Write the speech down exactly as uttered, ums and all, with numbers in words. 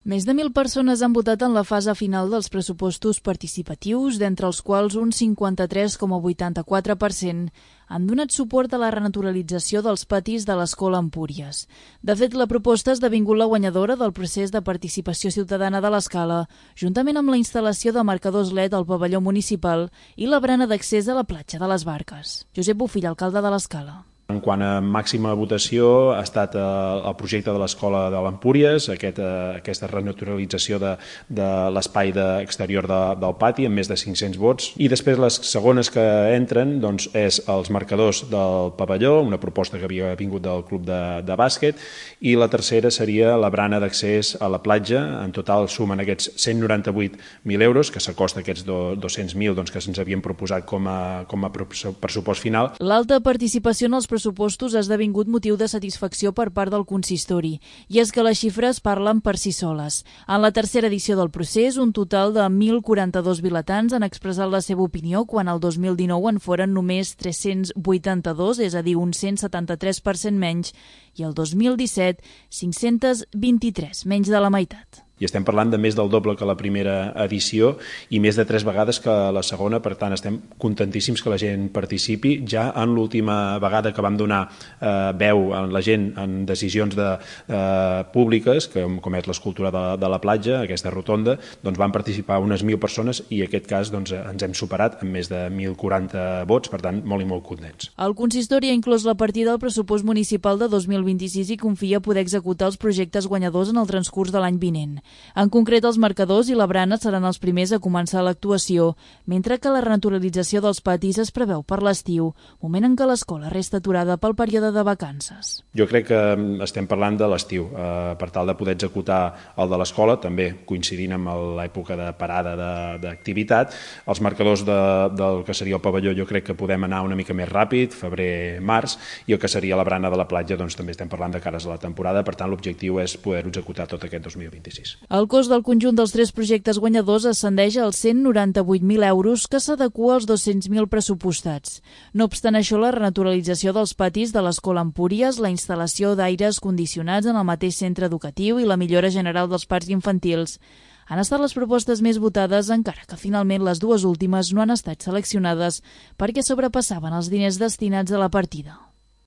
Més de mil persones han votat en la fase final dels pressupostos participatius, d'entre els quals un cinquanta-tres coma vuitanta-quatre per cent han donat suport a la renaturalització dels patis de l'Escola Empúries. De fet, la proposta ha esdevingut la guanyadora del procés de participació ciutadana de l'Escala, juntament amb la instal·lació de marcadors L E D al pavelló municipal i la barana d'accés a la platja de les Barques. Josep Bofill, alcalde de l'Escala. En quant a màxima votació ha estat el projecte de l'Escola de l'Empúries, aquest, aquesta renaturalització de, de l'espai exterior de, del pati amb més de cinc-cents vots. I després les segones que entren doncs, és els marcadors del pavelló, una proposta que havia vingut del club de, de bàsquet, i la tercera seria la brana d'accés a la platja. En total sumen aquests cent noranta-vuit mil euros, que s'acosta a aquests dos-cents mil doncs, que se'ns havien proposat com a, com a pressupost final. L'alta participació en els pressupostos ha esdevingut motiu de satisfacció per part del consistori, i és que les xifres parlen per si soles. En la tercera edició del procés, un total de mil quaranta-dos vilatans han expressat la seva opinió, quan el dos mil dinou en foren només tres-cents vuitanta-dos, és a dir, un cent setanta-tres per cent menys, i el dos mil disset, cinc-cents vint-i-tres, menys de la meitat. I estem parlant de més del doble que la primera edició i més de tres vegades que la segona, per tant estem contentíssims que la gent participi. Ja en l'última vegada que vam donar eh, veu a la gent en decisions de, eh, públiques, que, com és l'escultura de, de la platja, aquesta rotonda, doncs van participar unes mil persones i en aquest cas doncs, ens hem superat amb més de mil quaranta vots, per tant molt i molt contents. El consistori ha inclòs la partida del pressupost municipal de dos mil vint-i-sis i confia poder executar els projectes guanyadors en el transcurs de l'any vinent. En concret, els marcadors i la brana seran els primers a començar l'actuació, mentre que la renaturalització dels patis es preveu per l'estiu, moment en què l'escola resta aturada pel període de vacances. Jo crec que estem parlant de l'estiu, eh, per tal de poder executar el de l'escola, també coincidint amb l'època de parada d'activitat. Els marcadors de, del que seria el pavelló jo crec que podem anar una mica més ràpid, febrer, març, i el que seria la brana de la platja doncs també estem parlant de cares a la temporada, per tant l'objectiu és poder-ho executar tot aquest dos mil vint-i-sis. El cost del conjunt dels tres projectes guanyadors ascendeix als cent noranta-vuit mil euros, que s'adequa als dos-cents mil pressupostats. No obstant això, la renaturalització dels patis de l'Escola Empúries, la instal·lació d'aires condicionats en el mateix centre educatiu i la millora general dels parcs infantils han estat les propostes més votades, encara que finalment les dues últimes no han estat seleccionades perquè sobrepassaven els diners destinats a la partida.